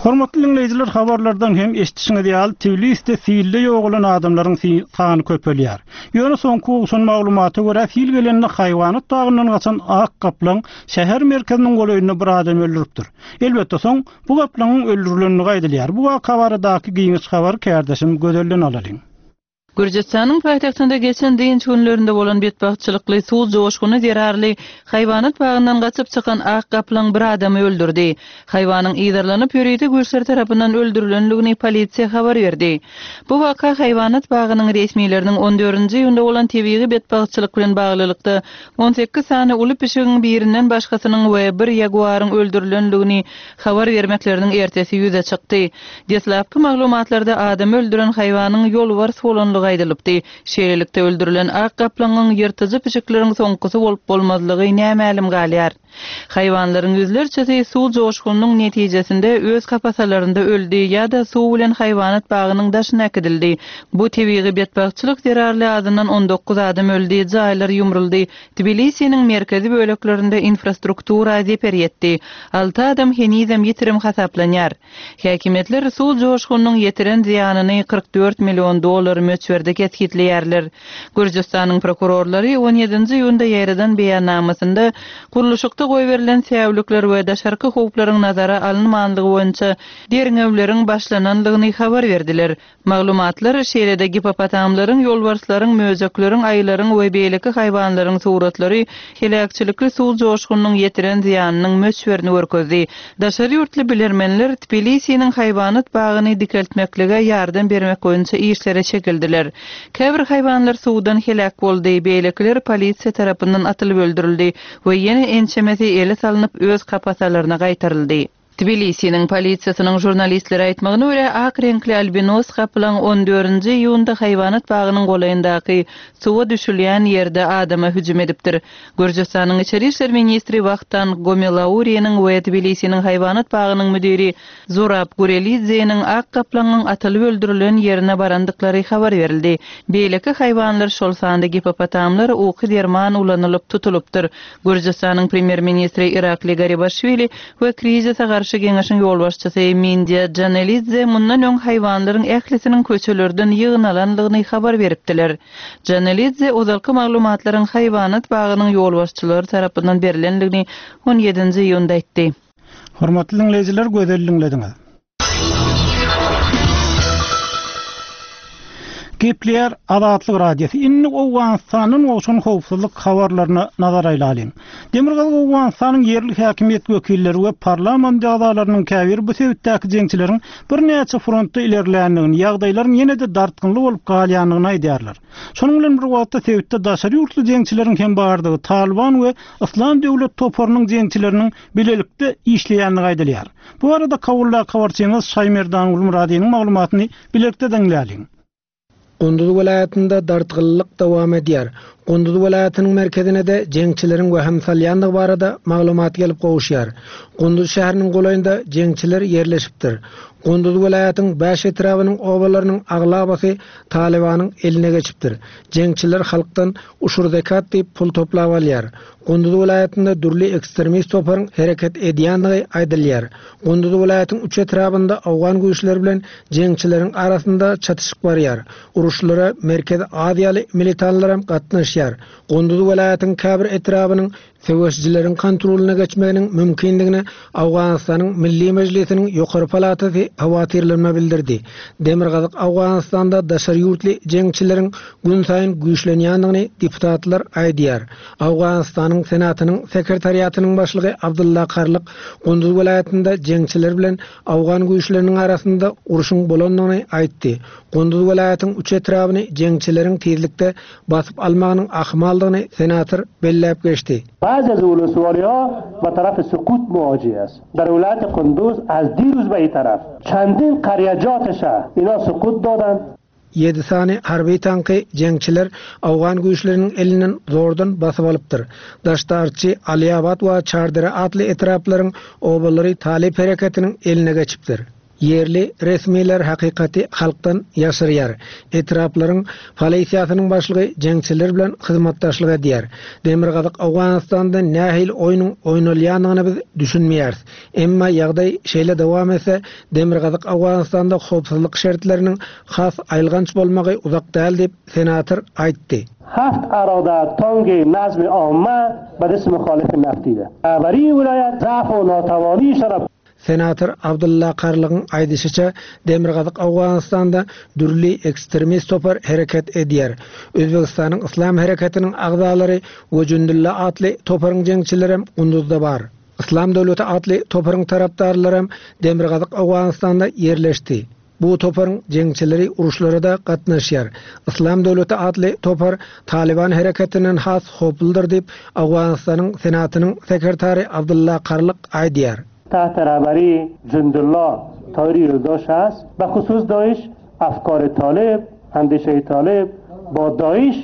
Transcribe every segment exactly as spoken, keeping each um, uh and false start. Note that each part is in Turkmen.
Hormatly dinleýjiler, habarlardan hem eşitişiňiz ýaly Tbiliside silde ýogalan adamlaryň sany köpelýär. Ýöne soňky gowşan maglumata görä sil gelende haýwanat bagyndan gaçan ak gaplaň şäher merkeziniň golaýynda bir adam öldüripdir. Elbetde soň bu gaplaňyň öldürilenligi aýdylýar. Bu waka baradaky giňiş habar kärdeşim Gözelden alalyň. Gürjüstanyň paýtagtynda geçen dynç günlerinde bolan betbagtçylykly suw joşguny zerarly haýwanat bagyndan gaçyp çykan ak gaplaň bir adamy öldürdi. Haýwanyň yzarlanyp ýörite güýçler tarapyndan öldürilenligini polisiýa habar berdi. Bu waka haýwanat bagynyň resmileriniň on dördünji iýunda bolan tebigy betbagtçylyk bilen baglylykda on sekiz sany uly pişigiň birinden başgasynyň we bir ýaguaryň öldürilenligini habar bermekleriniň ertesi ýüze çykdy. Deslapky maglumatlarda adamy öldüren haýwanyň ýolbars bolanlygy aýdylypdy. Şeýlelikde öldürilen ak gaplaňyň ýyrtyjy pişikleriň soňkusy bolup bolmazlygy nämälim galýar. Haýwanlaryň ýüzlerçesi suw joşgunynyň netijesinde öz kapasalarynda öldi ýa-da suw bilen haýwanat bagynyň daşyna äkidildi. Bu tebigy betbagtçylyk zerarly azyndan on dokuz adam öldi, jaýlar ýumruldy. Tbilisiniň merkezi böleklerinde infrastruktura zeper ýetdi. Alty adam henizem ýitirim hasaplanýar. Häkimiýetler suw joşgunynyň ýetiren zyýanyny kyrk dört million dollar möçberde kesgitleýärler. Gürjüstanyň prokurorlary on ýedinji iýunda ýaýradan beýannamasynda gurluşykda goýberilen säwlikler we daşarky howplaryň nazara alynmanlygy boýunça derňewleriň başlananlygyny habar berdiler. Maglumatlar şeýle-de gipopotamlaryň, ýolbarslaryň, möjekleriň, aýylaryň we beýleki haýwanlaryň suratlary heläkçilikli suw joşgunynyň ýetiren zyýanynyň möçberini görkezdi. Daşary ýurtly bilermenler Tbilisiniň haýwanat bagyny dikeltmeklige ýardam bermek boýunça işlere çekildiler. Käbir haýwanlar suwdan heläk boldy, beýlekiler polisiýa tarapyndan atylyp öldürildi we ýene ençemesi eli salnyp öz kapasalaryna gaýtaryldy. Tbilisiniň polisiýasynyň žurnalistleri aýtmagyna görä ak reňkli albinos gaplaň on dördünji iýunda haýwanat bagynyň golaýyndaky suwa düşülýän ýerde adama hüjüm edipdir. Gürjüstanyň içeri işler ministri Wahtan Gomelauriniň we Tbilisiniň haýwanat bagynyň müdiri Zurab Gurelidzeniň ak gaplaňyň atylyp öldürilen ýerine barandyklary habar berildi. Beýleki haýwanlar şol sanda gipopotamlar uky derman ulanylyp tutulypdyr. Gürjüstanyň premýer-ministri Irakli Garibaşwili we krizise garşy geňeşiň ýolbaşçysy Mindiýa Janelidze mundan öň haýwanlaryň ählisiniň köçelerden ýygnalanlygyny habar beripdiler. Janelidze ozalky maglumatlaryň haýwanat bagynyň ýolbaşçylary tarapyndan berilenligini on ýedinji iýunda aýtdy. Hormatly dinleýjiler, gözel dinlediňiz. Gepleýär Azatlyk Radiosy. Indi Owganystanyň gowşan howpsuzlyk habarlaryna nazar aýlalyň. Demirgazyk Owganystanyň ýerli häkimiýet wekilleri we parlament agzalarynyň käbiri bu sebitdäki jeňçileriň birnäçe frontda ilerländigini, ýagdaýlaryň ýene-de dartgynly bolup galýandygyny aýdýarlar. Şonuň bilen bir wagtda sebitde daşary ýurtly jeňçileriň hem bardygy, Taliban we Islam döwlet toparynyň jeňçileriniň bilelikde işleýändigi aýdylýar. Bu arada Kabulda habarçymyz Şaýmerdan Gulmuradynyň maglumatyny bilelikde diňläliň. Gunduz welaýatynda dartgynlyk dowam edýär. Gunduz welaýatynyň merkezine de jeňçileriň we hemsalýandygy barada maglumat gelip gowuşýar. Gunduz şäheriniň golaýynda jeňçiler ýerleşipdir. Gunduz welaýatyň bäş etrabynyň obalarynyň aglabasy Talibanyň eline geçipdir. Jeňçiler halkdan uşur zekat diýip pul toplap alýar. Gunduz welaýatynda dürli ekstremist toparyň hereket edýändigi aýdylýar. Gunduz welaýatyň üç etrabynda Awgan güýçleri bilen jeňçileriň arasynda çatyşyk barýar. Uruşlara Merkezi Aziýaly militanlar hem gatnaşýar. Gunduz welaýatyň käbir etrabynyň söweşçileriň kontrolyna geçmeginiň mümkindigine Awganystanyň Milli Mejlisiniň ýokary palatasy howatyrlanma bildirdi. Demirgazyk Awganystanda daşary ýurtly jeňçileriň günsaýyn güýçlenýändigini deputatlar aýdýar. Awganystanyň Senatynyň sekretariatynyň başlygy Abdulla Karlyk Gunduz welaýatynda jeňçiler bilen Awgan güýçleriniň arasynda urşuň bolandygyny aýtdy. Gunduz welaýatyň üç etrabyny jeňçileriň tizlikde basyp almagynyň ahmaldygyny senator belläp geçdi. بعضی از ولسوالی‌ها به طرف سقوط مواجه است. در ولایت قندوز از دیروز به این طرف چندین قریجاتش اینا سقوط دادند. Ýedi sany harby tanky jeňçiler Awgan güýçleriniň elinden zordan basyp alypdyr. Daşdarçy, Aliabat we Çardere atly etraplaryň obalary Talip hereketiniň eline geçipdir. Ýerli resmiler hakykaty halkdan ýaşyrýar. Etraplaryň polisiýasynyň başlygy jeňçiler bilen hyzmatdaşlyk edýär. Demirgazyk Owganystanda nähili oýnuň oýnalýandygyny biz düşünmeýäris. Emma ýagdaý şeýle dowam etse, Demirgazyk Owganystanda howpsuzlyk şertleriniň has aýylganç bolmagy uzak däl diýip, senator aýtdy. هفت اراده تانگ نظم عامه به دست مخالف نفتی ده. رهبری ولایت ضعف و ناتوانی شرف Senator Abdulla Karlygyň aýdyşyça Demirgazyk Owganystanda dürli ekstremist topar hereket edýär. Özbegistanyň Islam hereketiniň agzalary we Jundullah atly toparyň jeňçileri Gunduzda bar. Islam döwleti atly toparyň tarapdarlary Demirgazyk Owganystanda ýerleşdi. Bu toparyň jeňçileri uruşlara da gatnaşýar. Islam döwleti atly topar Taliban hereketinden has howpludyr diýip Owganystanyň Senatynyň sekretary Abdulla Karlyk aýdýar. تحت رهبری جندالله تایری یولداش است. به خصوص داعش افکار طالب، اندیشه طالب با داعش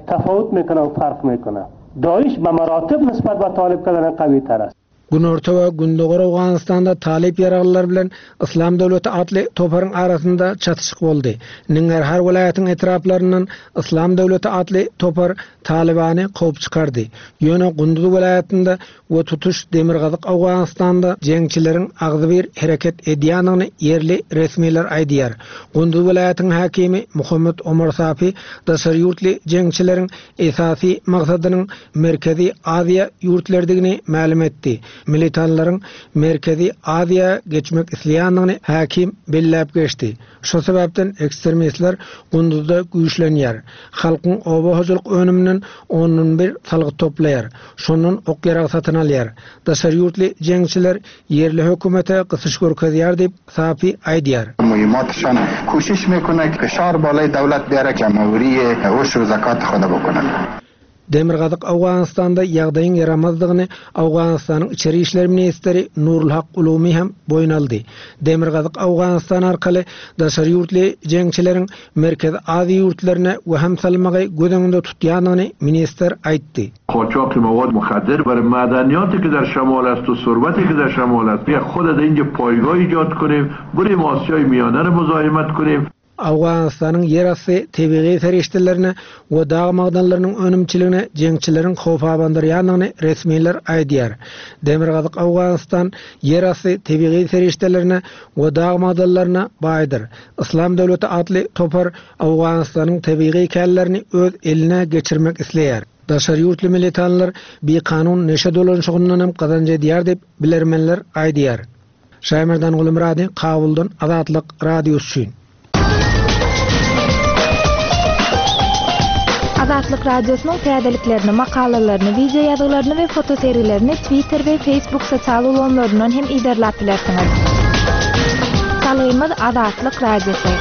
تفاوت میکنه و فرق میکنه. داعش به مراتب نسبت به طالب کردن قوی تر است. Günorta we Gündogar Owganystanda Talip ýaraglylar bilen Islam döwleti atly toparyň arasynda çatyşyk boldy. Nangarhar welaýatynyň etraplaryndan Islam döwleti atly topar Talibany kowup çykardy. Ýöne Gunduz welaýatynda we tutuş Demirgazyk Owganystanda jeňçileriň agzybir hereket edýändigini ýerli resmiler aýdýar. Gunduz welaýatynyň hakimi Muhammed Omar Safi daşary ýurtly jeňçileriň esasy maksadynyň Merkezi Aziýa ýurtlarydygyny mälim etdi. Militanlaryň Merkezi Aziýa geçmek isleýändigini hakim belläp geçdi. Şo sebäpden ekstremistler Gunduzda güýçlenýär. Halkyň oba hojalyk önüminden ondan bir salgyt toplaýar. Şondan ok ýarag satyn alýar. Daşary ýurtly jeňçiler ýerli hökümete gysyş görkezýär diýip Safi aýdýar. Mühimmatşan کوشش میکنه که فشار بالای دولت بیاره که جمهوری عشر و زکات خود بکنه. Demirgazyk Owganystanda ýagdaýyň ýaramazdygyny Owganystanyň Içeri işler ministri Nurulhak Ulumi hem boýun aldy. Demirgazyk Owganystan arkaly daşary ýurtly jeňçileriň Merkezi Aziýa ýurtlaryna we salmagy göz öňünde tutýandygyny ministr aýtdy. قاچاق مواد مخدر بر معدنیاتی که در شمال است و ثروتی که در شمال است بیا خود در اینجا پایگاه ایجاد کنیم، بریم آسیای میانه رو مزاحمت کنیم. Owganystanyň ýerasty tebigy serişdelerine we dag magdanlarynyň önümçiligine jeňçileriň howp abandyrýandygyny resmiler aýdýar. Demirgazyk Owganystan ýerasty tebigy serişdelerine we dag magdanlaryna baýdyr. Islam döwleti atly topar Owganystanyň tebigy känlerini öz eline geçirmek isleýär. Daşary ýurtly militanlar bikanun neşe dolanşygyndan hem gazanç edýär diýip bilermenler aýdýar. Şaýmerdan Gulmurady, Kabuldan Azatlyk Radiosy üçin. Azatlyk Radiosynyň täzeliklerini, makalalaryny, video ýazgylaryny we fotoserilerini Twitter we Facebook sosial ulgamlaryndan hem iderläp bilersiňiz. Salgymyz Azatlyk Radiosy.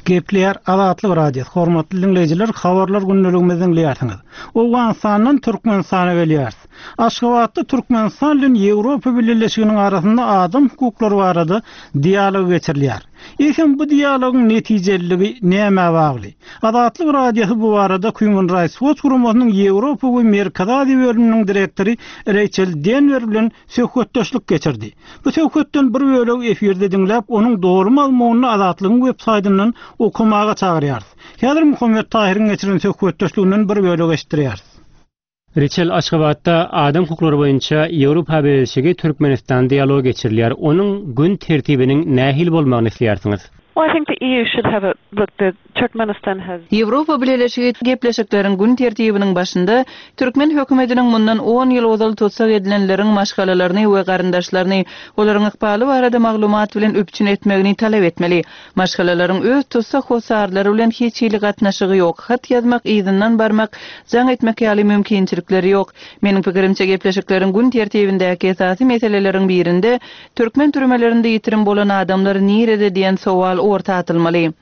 Gepleýär Azatlyk Radiosy. Hormatly dinleýjiler, habarlar gündeligimizi dinleýärsiňiz. Owganystandan Türkmenistana gelýäris. Aşgabatda Türkmenistan bilen Ýewropa Bileleşiginiň arasynda adam hukuklary barada dialog geçirilýär. Eýsem bu dialogyň netijeliligi näme bagly? Azatlyk Radiosy bu barada Human Rights Watch guramasynyň Ýewropa we Merkezi Aziýa bölüminiň direktory Rachel Denver bilen söhbetdeşlik geçirdi. Bu söhbetden bir bölegi efirde diňläp, onuň dogry mazmunyny Azatlygyň web saýtyndan okamaga çagyrýarys. Häzir Muhammet Tahyryň geçiren söhbetdeşliginden bir bölegi eşitdirýäris. Rachel, Aşgabatda adam hukuklary boýunça Ýewropa Bileleşigi Türkmenistan dialog geçirilýär. Onuň gün tertibiniň nähili bolmagyny isleýärsiňiz? Well, I think the E U should have a look. The Turkmenistan has Ýewropa Bileleşigi gepleşikleriň gün tertibiniň başynda Türkmen hökümetiniň mundan on ýyl ozal tutsak edilenleriň maşgalalaryny we garyndaşlaryny olaryň ykbaly barada maglumat bilen üpjün etmegini talap etmeli. Maşgalalaryň öz tutsak hosarlary bilen hiç hili gatnaşygy ýok. Hat ýazmak, yzyndan barmak, jaň etmek ýaly mümkinçilikleri ýok. Meniň pikirimçe gepleşikleriň gün tertibindäki esasy meseleleriň birinde Türkmen türmelerinde ýitirim bolan adamlar nirede diýen sowal orta atylmaly.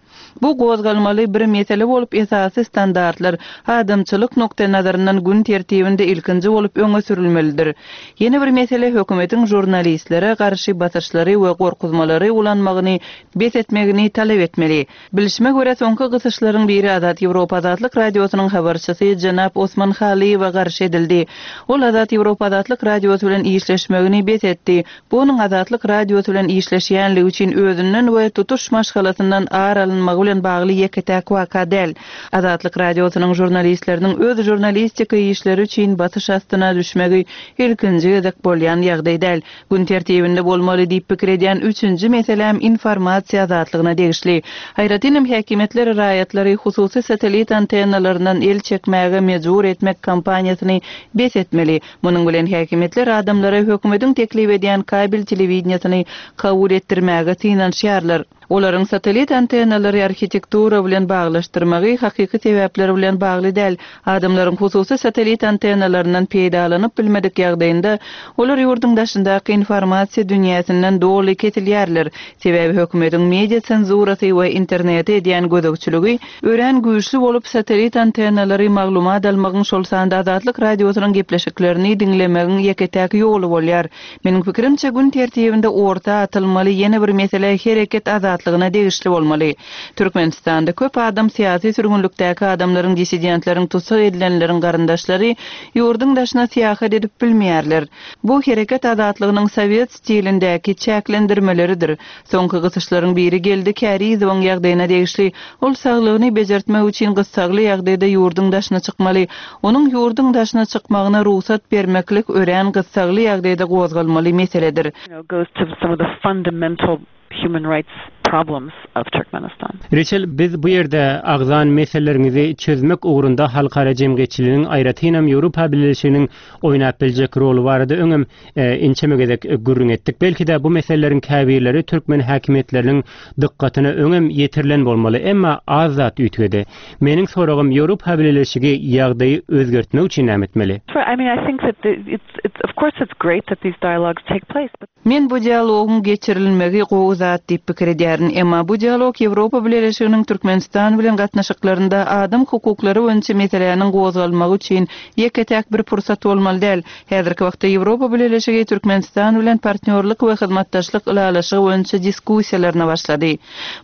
Bu gozgalmaly bir mesele bolup esasy standartlar adamçylyk nukdaýnazaryndan gün tertibinde ilkinji bolup öňe sürülmelidir. Ýene bir mesele hökümetiň žurnalistlere garşy basyşlary we gorkuzmalary ulanmagyny bes etmegini talap etmeli. Bilşime görä soňky gysyşlaryň biri Azat Ýewropa Azatlyk Radiosynyň habarçysy jenap Osman Halyýewe garşy edildi. Ol Azat Ýewropa Azatlyk Radiosy bilen işleşmegini bes etdi. Bu onuň Azatlyk Radiosy bilen işleşýänligi üçin özünden we tutuş maşgalasyndan ar alynmagy bilen bagly ýeke-täk waka däl. Azatlyk Radiosynyň žurnalistleriniň öz žurnalistika işleri üçin basyş astyna düşmegi ilkinji gezek bolýan ýagdaý däl. Gün tertibinde bolmaly diýip pikir edýän üçünji meselem informasiýa azatlygyna degişli. Aýratynam häkimiýetler raýatlary hususy satellit antennalaryndan el çekmäge mejbur etmek kampaniýasyny bes etmeli. Munuň bilen häkimiýetler adamlara hökümetiň teklip edýän kabel telewideniýesini kabul etdirmäge synanyşýarlar. Olaryň satellit antennalary arhitektura bilen baglaşdyrmagy hakyky sebäpler bilen bagly däl. Adamlaryň hususy satellit antennalaryndan peýdalanyp bilmedik ýagdaýynda olar ýurduň daşyndaky informasiýa dünýäsinden doly kesilýärler. Sebäbi hökümetiň media senzurasy we internete edýän gözegçiligi örän güýçli bolup satellit antennalary maglumat almagyň şol sanda Azatlyk radiosynyň gepleşiklerini diňlemegiň ýeke-täk ýoly bolýar. Meniň pikirimçe gün tertibinde orta atylmaly ýene bir mesele hereket azatlygyna degişli bolmaly. Türkmenistanda köp adam syýasy sürgünlikdäki adamlaryň dissidentleriň tussag edilenleriň garyndaşlary ýurduň daşyna syýahat edip bilmeýärler. Bu hereket azatlygynyň sowet stilindäki çäklendirmeleridir. Soňky gysyşlaryň biri geldi Kärizowyň ýagdaýyna degişli. Ol saglygyny bejertmek üçin gyssagly ýagdaýda ýurduň daşyna çykmaly. Onuň ýurduň daşyna çykmagyna rugsat bermeklik örän gyssagly ýagdaýda gozgalmaly meseledir. You know, goes to some of the fundamental human rights problems of Turkmenistan. Reçel, biz bu ýerde agzan meseleleriňizi çözmek ugrunda halkara jemgyýetçiliginiň aýratynam Ýewropa Bileleşiginiň oýnap biljek roly barada öňem e, inçeme gezek gürrüň etdik. Belki-de bu meseleleriň käbirleri türkmen häkimiýetleriniň dykgatyna öňem ýetirilen bolmaly, emma az zat üýtgedi. Meniň soragym Ýewropa Bileleşigi ýagdaýy özgertmek üçin näme etmeli? I mean, I think that the, it's, it's, of course it's great that these dialogues take place, but Men bu dialogyň geçirilmegi gowy zat diýip pikir edýärin. Emma bu dialog Ýewropa Bileleşiginiň Türkmenistan bilen gatnaşyklarynda adam hukuklary boýunça meseläniň gozgalmagy üçin ýeke-täk bir pursat bolmaly däl. Häzirki wagtda Ýewropa Bileleşigi Türkmenistan bilen partnýorlyk we hyzmatdaşlyk ylalaşygy boýunça diskussiýalaryna başlady.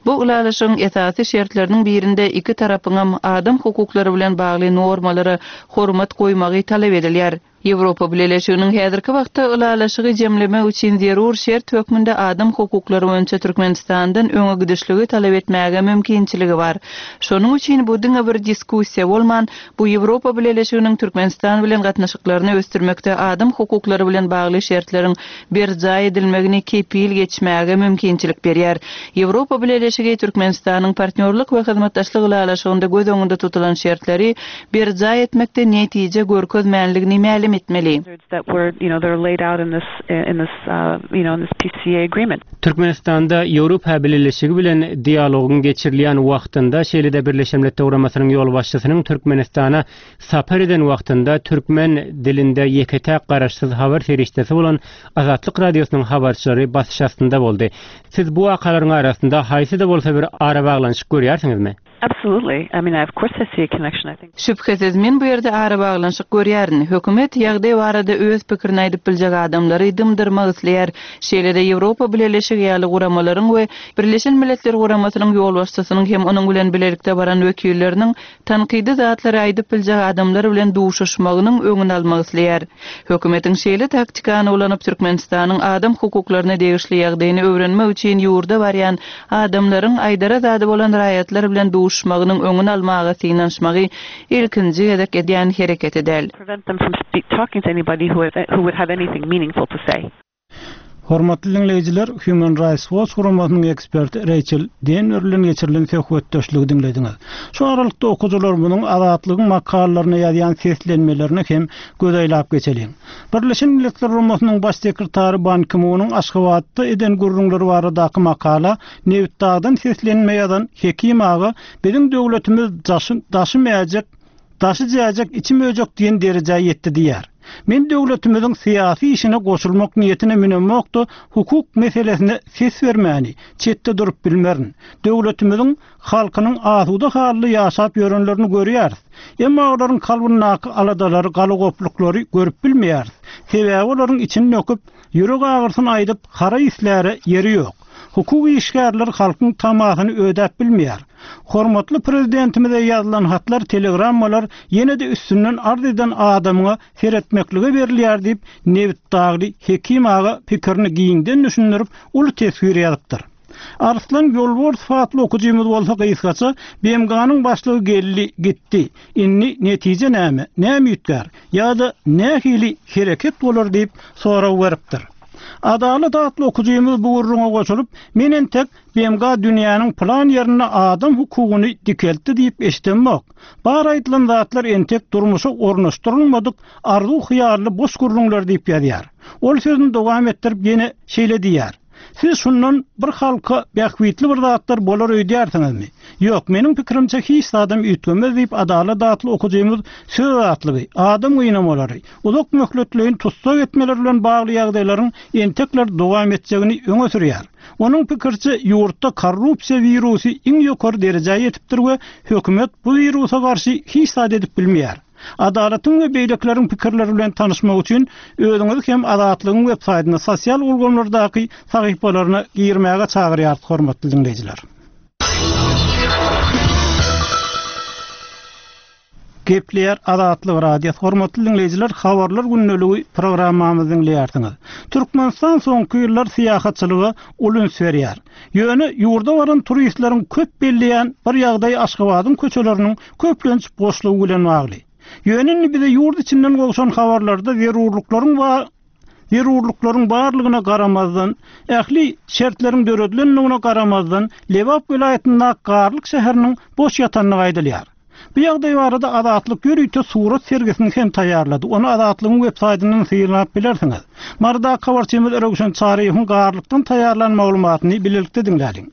Bu ylalaşygyň esasy şertleriniň birinde iki tarapyňam adam hukuklary bilen bagly normalara hormat goýmagy talap edilýär. Ýewropa Bileleşiginiň häzirki wagtda ylalaşygy jemlemek üçin zerur şert hökmünde adam hukuklary boýunça Türkmenistandan öňe gidişligi talap etmäge mümkinçiligi bar. Şonuň üçin bu diňe bir diskussiýa bolman, bu Ýewropa Bileleşiginiň Türkmenistan bilen gatnaşyklaryny ösdürmekde adam hukuklary bilen bagly şertleriň berjaý edilmegini kepil geçmäge mümkinçilik berýär. Ýewropa Bileleşigi Türkmenistanyň partnýorlyk we hyzmatdaşlyk ylalaşygynda göz öňünde tutulan şertleri berjaý etmekde netije görkezmänligini mälim etmeli. that were, you know, they're laid out in this, in this, uh, you know, in this PCA agreement. Türkmenistanda Ýewropa Bileleşigi bilen dialogyň geçirilýän wagtynda şeýle-de Birleşen Milletler Guramasynyň ýolbaşçysynyň Türkmenistana sapar eden wagtynda türkmen dilinde ýeke-täk garaşsyz habar serişdesi bolan Azatlyk radiosynyň habarçylary basyş astynda boldy. Siz bu wakalaryň arasynda haýsy-da bolsa bir arabaglanyşyk görýärsiňizmi? Absolutely. I mean, I, of course I see a connection. I think Şübhesiz men bu ýerde arabaglanyşyk görýärin. Hökümet ýagdaý barada öz pikirini aýdyp biljek adamlary dymdyrmak isleýär. Şeýle-de Ýewropa Bileleşigi ýaly guramalaryň we Birleşen Milletler Guramasynyň ýolbaşçysynyň hem onuň bilen bilelikde baran wekilleriniň tankydy zatlary aýdyp biljek adamlar bilen duşuşmagynyň öňüni almak isleýär. Hökümetiň şeýle taktikany ulanyp Türkmenistanyň adam hukuklaryna degişli ýagdaýyny öwrenmek üçin ýurda barýan adamlaryň aýdara zady bolan raýatlar bilen duşmagynyň öňüni almaga synanyşmagy ilkinji gezek edýän hereketi däl. prevent them from speak, talking to anybody who, who would have anything meaningful to say. Hormatly dinleýjiler, Human Rights Watch guramasynyň eksperti Rachel Denver bilen geçirilen söhbetdeşligi diňlediňiz. Şu aralykda okyjylarymyzyň Azatlygyň makalalaryna ýazýan seslenmelerini hem göz aýlap geçeliň. Birleşen Milletler Guramasynyň baş sekretary Ban Ki-munyň Aşgabatda eden gürrüňleri baradaky makala Nebitdagdan seslenme ýazan Hekim aga biziň döwletimiz daşy daşy mäjek, daşy jäjek, içi möjek diýen derejä ýetdi diýär. Men döwletimiziň syýasy işine goşulmak niýetine münemokda hukuk meselesine ses bermäni, çetde durup bilmerin. Döwletimiziň halkynyň asuda hally ýaşap ýörenlerini görýäris. Emma olaryň kalbyndaky aladalary, galagopluklary görüp bilmeýäris. Sebäbi olaryň içini döküp, ýürek agyrsyny aýdyp, hara isläre ýeri ýok. Hukuk işgärleri halkyň tamasyny ödäp bilmeýär. Hormatly prezidentimize ýazylan hatlar, telegrammalar ýene-de üstünden arz eden adamyňa seretmeklige berilýär diýip, Nebitdagly Hekim aga pikirini giňden düşündirip, uly teswir ýazypdyr. Arslan Ýolbars atly okujymyz bolsa gysgaça B M G-nyň başlygy geldi, gitdi. Indi netije näme? Näme üýtgär? Ýa-da nähili hereket bolar diýip sorag beripdir. Adalat atly okujymyz bu gürrüňe goşulyp, men entek B M G dünýäniň plan ýerinde adam hukugyny dikeltdi diýip eşidemok. Bar aýdylan zatlar entek durmuşa ornaşdyrylmadyk arzuw hyýally boş gürrüňler diýip ýazýar. Ol sözüni dowam etdirip ýene şeýle diýýär. Siz şundan bir halka bähbitli bir zatlar bolar öýdýärsiňizmi? Ýok, meniň pikirimçe hiç zadam üýtgemez diýip Adalat atly okujymyz söz atlygy, adam gynamalary, uzak möhletleýin tussag etmeler bilen bagly ýagdaýlaryň entekler dowam etjegini öňe sürýär. Onuň pikirçe ýurtda korrupsiýa wirusy iň ýokary derejä ýetipdir we hökümet bu wirusa garşy hiç zat edip bilmeýär. Adalatyň we beýlekileriň pikirleri bilen tanyşmak üçin özüňizi hem Azatlygyň web saýtynda sosial ulgamlardaky sahypalaryna girmäge çagyrýarys hormatly dinleýjiler. Gepleýär Azatlyk Radiosy. Hormatly dinleýjiler, habarlar gündeligi programmamyzy dinleýärsiňiz. Türkmenistan soňky ýyllar syýahatçylyga uly üns berýär. Ýöne ýurda baran turistleriň köp belleýän bir ýagdaý Aşgabadyň köçeleriniň köplenç boşlugy bilen bagly. Ýöne indi bize ýurt içinden gowşan habarlarda zerurlyklaryň wa zerurlyklaryň barlygyna garamazdan, ähli şertleriň döredilendigine garamazdan, Lebap welaýatynda Garlyk şäheriniň boş ýatandygy aýdylýar. Bu ýagdaý barada Azatlyk ýörite surat sergisini hem taýýarlady. Ony Azatlygyň web saýtyndan synlap bilersiňiz. Maryda habarçymyz Röwşen Çaryýewiň Garlykdan taýýarlan maglumatyny bilelikde diňläliň.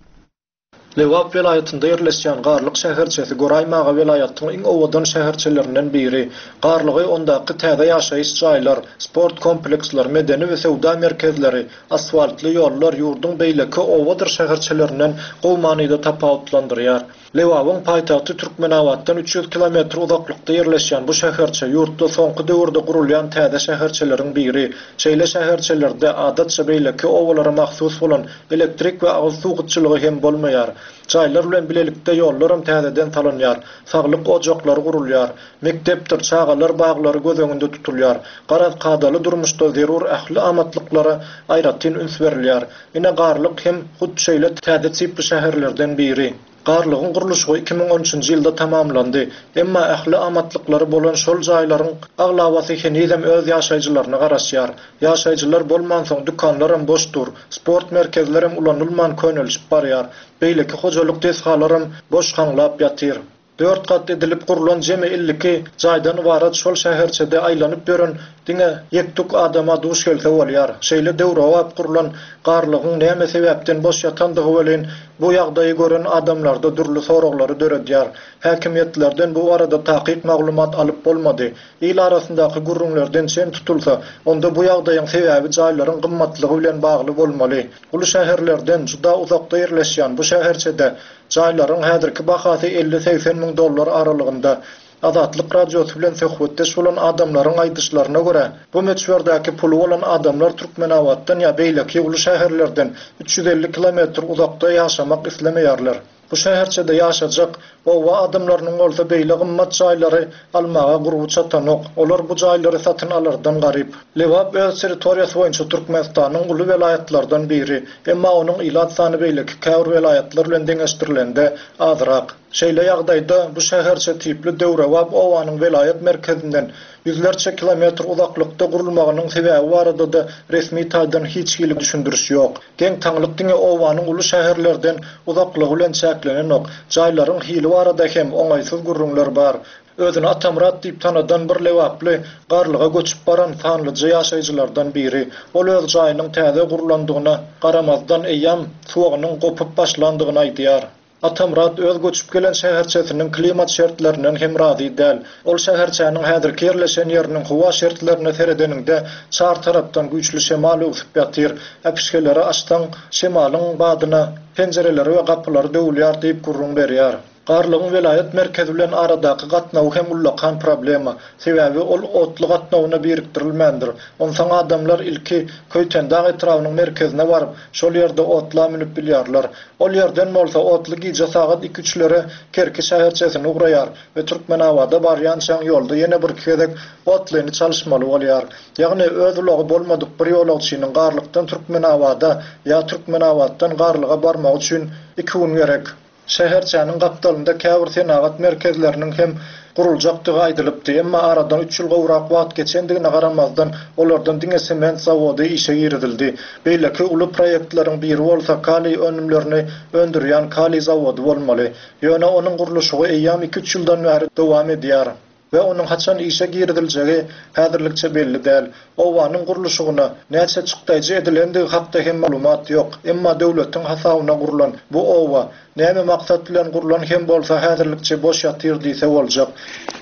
Lebap welaýatynda ýerleşýän Garlyk şäherçesi Goraýmaga welaýatynyň iň owadan şäherçelerinden biri. Garlygy ondaky täze ýaşaýyş jaýlar, sport kompleksleri, medeni we söwda merkezleri, asfaltly ýollar ýurduň beýleki owadyr şäherçelerinden gowy manyda tapawutlandyrýar. Lebabyň paýtagty Türkmenabatdan üç ýüz kilometr uzaklykda ýerleşýän bu şäherçe ýurtda soňky döwürde gurulýan täze şäherçeleriň biri. Şeýle şäherçelerde adatça beýleki obalara mahsus bolan elektrik we agyz suw gytçylygy hem bolmaýar. Jaýlar bilen bilelikde ýollaram täzeden salynýar. Saglyk ojaklary gurulýar. Mekdepdir, çagalar baglary göz öňünde tutulýar. Garaz kadaly durmuşda zerur ähli amatlyklara aýratyn üns berilýär. Ine Garlyk hem hut şeýle täze tipli şäherlerden biri. Garlygyň gurluşygy iki müň on üçünji ýylda tamamlandy. Emma ähli amatlyklary bolan şol jaýlaryň aglabasy henizem öz ýaşaýjylaryna garaşýar. Ýaşaýjylar bolmansoň dükanlaram boş dur, sport merkezlerem ulanylman könelişip barýar. Beýleki hojalyk desgalaram boş haňlap ýatyr. Dört gat edilip gurulan jemi elli iki jaýdan ybarat şol şäherçede aýlanyp ýören diňe ýektuk adama duş gelse bolýar. Şeýle döwrebap gurulan Garlygyň näme sebäpden boş ýatandygy welin bu ýagdaýy gören adamlarda dürli soraglary döredýär. Häkimiýetlerden bu arada takyk maglumat alyp bolmady. Il arasyndaky gürrüňlerden çen tutulsa, onda bu ýagdaýyň sebäbi jaýlaryň gymmatlygy bilen bagly bolmaly. Uly şäherlerden juda uzakda ýerleşýän bu şäherçede jaýlaryň häzirki bahasy elli segsen müň dollar aralygynda. Azatlyk Radiosy bilen söhbetdeş bolan adamlaryň aýdyşlaryna görä, bu möçberdäki puly bolan adamlar Türkmenabatdan ýa beýleki uly şäherlerden üç ýüz elli kilometr uzakda ýaşamak islemeýärler. Bu şäherçede ýaşajak oba adamlarynyň bolsa beýle gymmat jaýlary almaga gurby çatanok. Olar bu jaýlary satyn alardan garyp. Lebap öz territoriýasy boýunça Türkmenistanyň uly welaýatlardan biri, emma onuň ilat sany beýleki käbir welaýatlar bilen deňeşdirilende azrak. Şeýle ýagdaýda bu şäherçe tipli döwrebap obanyň welaýat merkezinden ýüzlerçe kilometr uzaklykda gurulmagynyň sebäbi barada da resmi taýdan hiç hili düşündiriş ýok. Geň taňlyk diňe obanyň uly şäherlerden uzaklygy bilen çäklenenok. Jaýlaryň hili barada hem oňaýsyz gürrüňler bar. Özüni Atamrat diýip tanadan bir lebaply Garlyga göçüp baran sanlyja ýaşaýjylardan biri. Ol öz jaýynyň täze gurulandygyna garamazdan eýýäm suwagynyň gopup başlandygyny aýdýar. Atamyrat öz göçüp gelen şäherçesiniň klimat şertlerinden hem razy däl. Ol şäherçäniň häzirki ýerleşen ýeriniň howa şertlerine seredeniňde çar tarapdan güýçli şemal öwsüp ýatyr, äpişgeleri açsaň, şemalyň badyna penjireleri we gapylary döwülýär diýip gürrüň berýär. Garlygyň welaýat merkezi bilen aradaky gatnawy hem ullakan problema. Sebäbi ol otly gatnawyna birikdirilmändir. Onsoň adamlar ilki Köýtendag etrabynyň merkezine baryp, şol ýerde otla münüp bilýärler. Ol ýerden bolsa otly gije sagat iki-üçlere Kerki şäherçesine ugraýar we Türkmenabada barýançaň ýolda ýene birki gezek otlyny çalyşmaly bolýar. Ýagny öz ulagy bolmadyk bir ýolagçynyň Garlykdan Türkmenabada ýa Türkmenabatdan Garlyga barmagy üçin iki gün gerek. Şäherçäniň gapdalynda käbir senagat merkezleriniň hem guruljakdygy aýdylypdy, emma aradan üç ýyl gowrak wagt geçendigine garamazdan, olardan diňe sement zawody işe girizildi. Beýleki uly proýektleriň biri bolsa kaliý önümlerini öndürýän kaliý zawody bolmaly. Ýöne onuň gurluşygy eýýäm iki-üç ýyldan bäri dowam edýär we onuň haçan işe giriziljegi häzirlikçe belli däl. Obanyň gurluşygyna näçe çykdaýjy edilendigi hakda hem maglumat ýok. Emma döwletiň hasabyna gurlan bu oba näme maksat bilen gurlan hem bolsa häzirlikçe boş ýatyr diýse boljak.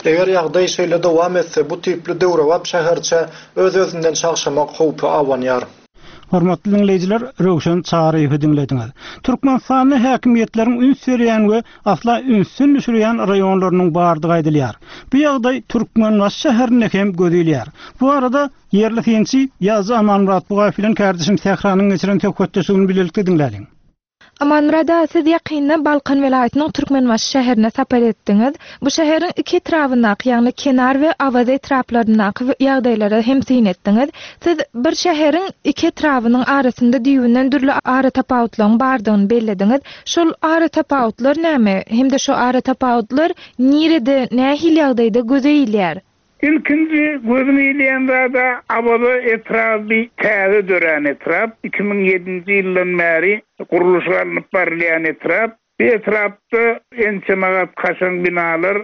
Eger ýagdaý şeýle dowam etse, bu tipli döwrebap şäherçe öz-özünden çagşamak howpy abanýar. Hormatly diňleýjiler, Röwşen Çaryýewi diňlediňiz. Türkmenistanda häkimiýetleriň üns berýän we asla ünsden düşürýän raýonlarynyň bardygy aýdylýar. Bu ýagdaý Türkmenbaşy şäherinde hem göz ilýär. Bu arada ýerli synçy Ýazyjy Amanmyrat Bugaýew bilen kardeşim Sähranyň geçiren söhbetdeşligini bilelikde diňläliň. Amanmyrat aga, siz ýakynda Balkan welaýatynyň Türkmenbaşy şäherine sapar etdiňiz. Bu şäheriň iki etrabyndaky, ýagny Kenar we Awaz etraplaryndaky ýagdaýlara hem syn etdiňiz. Siz bir şäheriň iki etrabynyň arasynda düýbünden dürli aratapawutlaryň bardygyny bellediňiz. Şol aratapawutlar näme? Hem-de şo aratapawutlar nirede, nähili ýagdaýda göze ilýär? Ilkinji gözüňe ilýän zada Awaza etraby täze dörän etrap, iki müň ýedinji ýyldan bäri gurluşyk alnyp barylýan etrap. Bu etrapda ençeme gat kaşaň binalar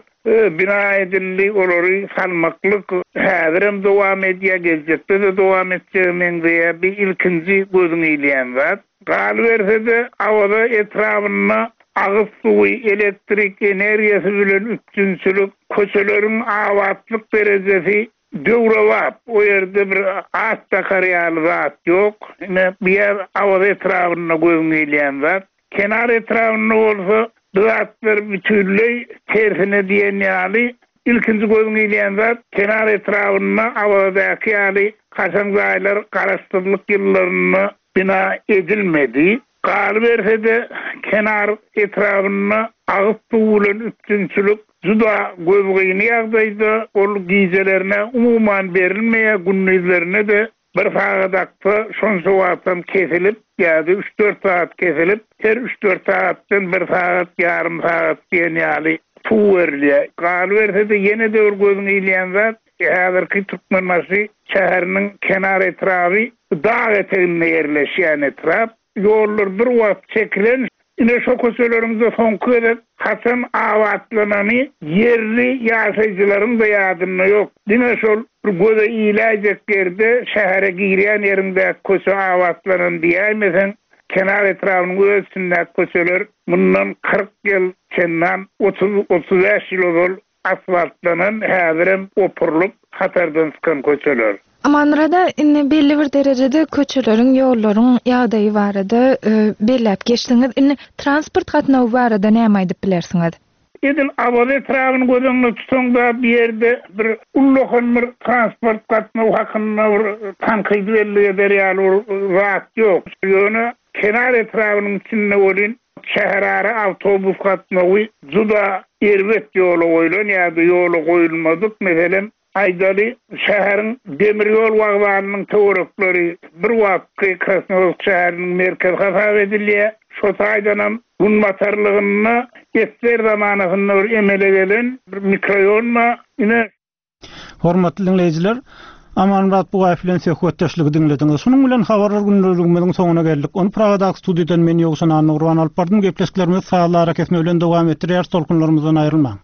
bina edildi, olary salmaklyk häzirem dowam edýär, geljekde-de dowam etjegi meňzeýär. Bu ilkinji gözüňe ilýän zat. Galyberse-de Awaza etrabynda agyz suwy, elektrik energiýasy bilen üpjünçilik, köçeleriň abatlyk derejesi döwrebap. O ýerde bir at dakar ýaly zat ýok. Ine, bu ýer Awaza etrabynda gözüňe ilýän zat. Kenar etrabynda bolsa bu zatlar bütünleý tersine diýen ýaly. Ilkinji gözüňe ilýän zat Kenar etrabynda Awazadaky ýaly kaşaň jaýlar garaşsyzlyk ýyllarynda bina edilmedi. Galyberse-de Kenar etrabynda agyz suwy bilen üpjünçilik juda gözgyny ýagdaýda, ol gijelerine umuman berilmeýär, gündizlerine-de bir sagat aksa şonça wagtam kesilip, ýa-da üç-dört sagat kesilip, her üç-dört sagatdan bir sagat, ýarym sagat diýen ýaly suw berilýär. Galyberse-de ýene-de bir gözüňe ilýän zat, häzirki Türkmenbaşy şäheriniň Kenar etraby dag eteginde ýerleşýän etrap. Ýollar bir wagt çekilen, ine şo köçeleriň-de soňky gezek haçan abatlanany ýerli ýaşaýjylaryň-da ýadynda ýok. Diňe şol bir göze iläýjek ýerde şähere girýän ýeriňdäki köçe abatlanan diýäýmeseň, Kenar etrabynyň öz içindäki köçeler mundan kyrk ýyl çendan otuz, otuz bäş ýyl ozal asfaltlanan, häzirem opurylyp hatardan çykan köçeler. Amanmyrat aga, indi belli bir derejede köçeleriň, ýollaryň ýagdaýy barada, e, belläp geçdiňiz. Indi transport gatnawy barada näme aýdyp bilersiňiz? Edil Awaza etrabyny göz öňünde tutsaň-da, bu ýerde bir ullakan bir transport gatnawy hakynda bir tankydy bellik eder ýaly bir zat ýok. Ýöne Kenar etrabynyň içinde welin şäherara awtobus gatnawy juda erbet ýola goýlan ýa-da ýola goýulmadyk. Meselem, aýdaly, şäheriň demir ýol wokzalynyň töwerekleri bir wagtky Krasnodar şäheriniň merkezi hasap edilýär. Şo taýdanam günbatarlygynda esger zamanasynda bir emele gelen bir mikroýon bar. Ine, Hormatly diňleýjiler, Amanmyrat Bugaýew bilen söhbetdeşligi diňlediňiz. Şunuň bilen habarlar gündeligimiziň soňuna geldik. Ony Pragadaky studiýadan men Ýowşan Annagurban alyp bardym. Gepleşiklerimizi sazly arakesme bilen dowam etdirýäris. Tolkunlarymyzdan aýrylmaň.